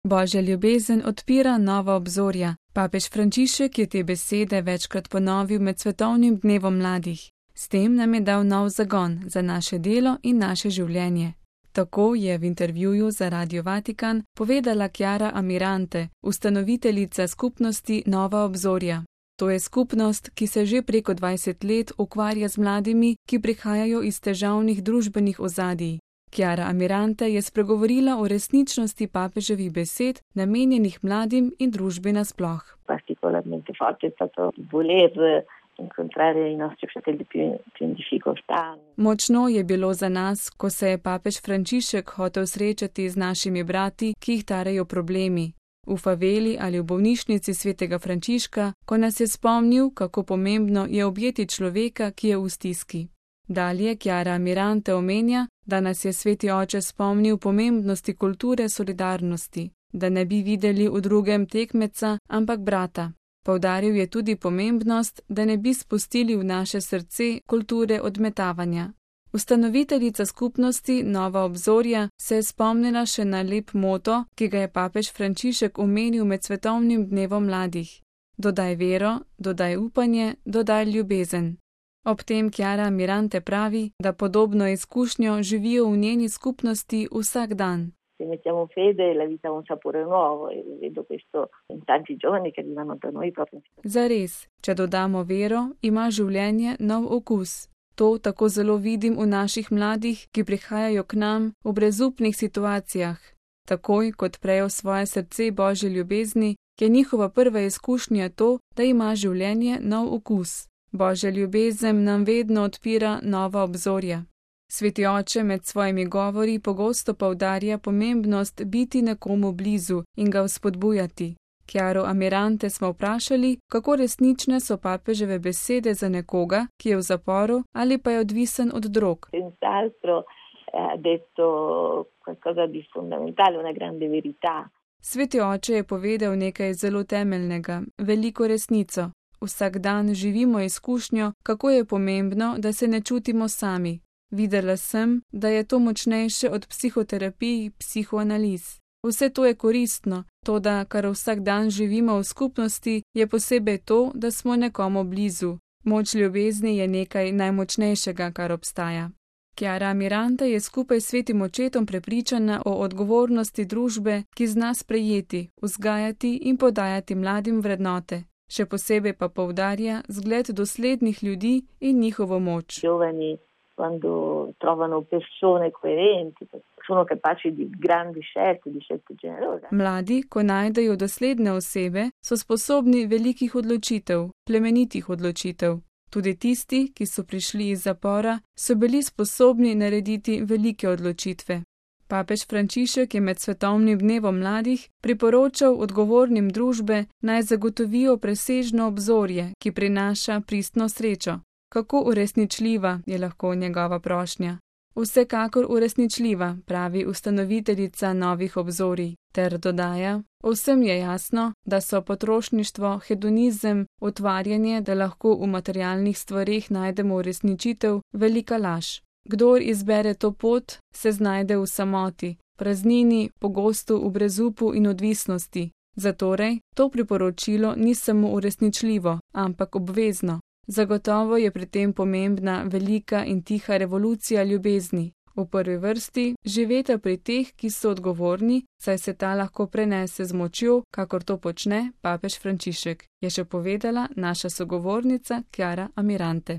Božja ljubezen odpira nova obzorja. Papež Frančišek je te besede večkrat ponovil med svetovnim dnevom mladih. S tem nam je dal nov zagon za naše delo in naše življenje. Tako je v intervjuju za Radio Vatikan povedala Chiara Amirante, ustanoviteljica skupnosti Nova obzorja. To je skupnost, ki se že preko 20 let ukvarja z mladimi, ki prihajajo iz težavnih družbenih ozadij. Chiara Amirante je spregovorila o resničnosti papeževih besed, namenjenih mladim in družbi nasploh. Particolarmente forte è stato voler incontrare i nostri fratelli più in difficoltà. Močno je bilo za nas, ko se je papež Frančišek hotel srečati z našimi brati, ki jih tarejo problemi. V faveli ali v bolnišnici svetega Frančiška, ko nas je spomnil, kako pomembno je objeti človeka, ki je v stiski. Dalje Chiara Amirante omenja, da nas je sveti oče spomnil pomembnosti kulture solidarnosti, da ne bi videli v drugem tekmeca, ampak brata. Poudaril je tudi pomembnost, da ne bi spustili v naše srce kulture odmetavanja. Ustanoviteljica skupnosti Nova obzorja se je spomnila še na lep moto, ki ga je papež Frančišek omenil med svetovnim dnevom mladih. Dodaj vero, dodaj upanje, dodaj ljubezen. Ob tem Chiara Amirante pravi, da podobno izkušnjo živijo v njeni skupnosti vsak dan. Se mettiamo fede, la vita ha un sapore nuovo e vedo questo in tanti giovani che arrivano da noi proprio. Zares, če dodamo vero, ima življenje nov okus. To tako zelo vidim v naših mladih, ki prihajajo k nam v brezupnih situacijah. Takoj, kot prejo svoje srce Božje ljubezni, je njihova prva izkušnja to, da ima življenje nov okus. Božja ljubezen nam vedno odpira nova obzorja. Sveti oče med svojimi govori pogosto poudarja pomembnost biti nekomu blizu in ga vzpodbujati. Chiaro Amirante smo vprašali, kako resnične so papeževe besede za nekoga, ki je v zaporu ali pa je odvisen od drog. Senz'altro ha detto qualcosa di fondamentale, una grande verità. Sveti oče je povedal nekaj zelo temeljnega, veliko resnico. Vsak dan živimo izkušnjo, kako je pomembno, da se ne čutimo sami. Videla sem, da je to močnejše od psihoterapij, psihoanaliz. Vse to je koristno, toda kar vsak dan živimo v skupnosti, je posebej to, da smo nekomu blizu. Moč ljubezni je nekaj najmočnejšega, kar obstaja. Chiara Amirante je skupaj s svetim očetom prepričana o odgovornosti družbe, ki zna sprejeti, vzgajati in podajati mladim vrednote. Še posebej pa poudarja zgled doslednih ljudi in njihovo moč. Quando trovano persone coerenti, sono capaci di grandi scelte, di scelte generose. Mladi, ko najdejo dosledne osebe, so sposobni velikih odločitev, plemenitih odločitev. Tudi tisti, ki so prišli iz zapora, so bili sposobni narediti velike odločitve. Papež Frančišek je med svetovnim dnevom mladih priporočal odgovornim družbe, naj zagotovijo presežno obzorje, ki prinaša pristno srečo. Kako uresničljiva je lahko njegova prošnja? Vsekakor uresničljiva, pravi ustanoviteljica Novih obzorij, ter dodaja, vsem je jasno, da so potrošništvo, hedonizem, utvarjanje, da lahko v materialnih stvareh najdemo uresničitev, velika laž. Kdor izbere to pot, se znajde v samoti, praznini, pogosto v brezupu in odvisnosti. Zatorej, to priporočilo ni samo uresničljivo, ampak obvezno. Zagotovo je pri tem pomembna velika in tiha revolucija ljubezni. V prvi vrsti živeta pri teh, ki so odgovorni, saj se ta lahko prenese z močjo, kakor to počne papež Frančišek, je še povedala naša sogovornica Chiara Amirante.